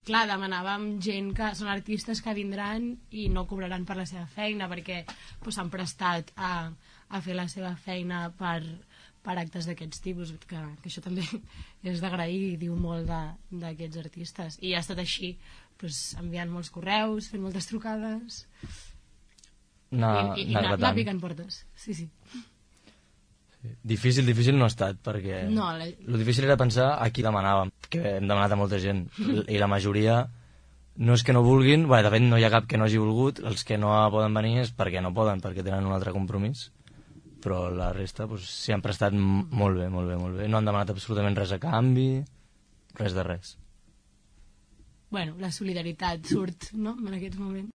clar, demanàvem gent que són artistes que vindran i no cobraran per la seva feina perquè s'han prestat a fer la seva feina per actes d'aquests tipus, que això també és d'agrair i diu molt d'aquests artistes. I ha estat així, enviant molts correus, fent moltes trucades i anar picant portes. Sí. Difícil no ha estat, perquè el difícil era pensar a qui demanàvem, que hem demanat a molta gent, i la majoria no és que no vulguin, de fet no hi ha cap que no hagi volgut, els que no poden venir és perquè no poden, perquè tenen un altre compromís, però la resta s'hi han prestat molt bé, no han demanat absolutament res a canvi, res de res. La solidaritat surt, no?, en aquests moments.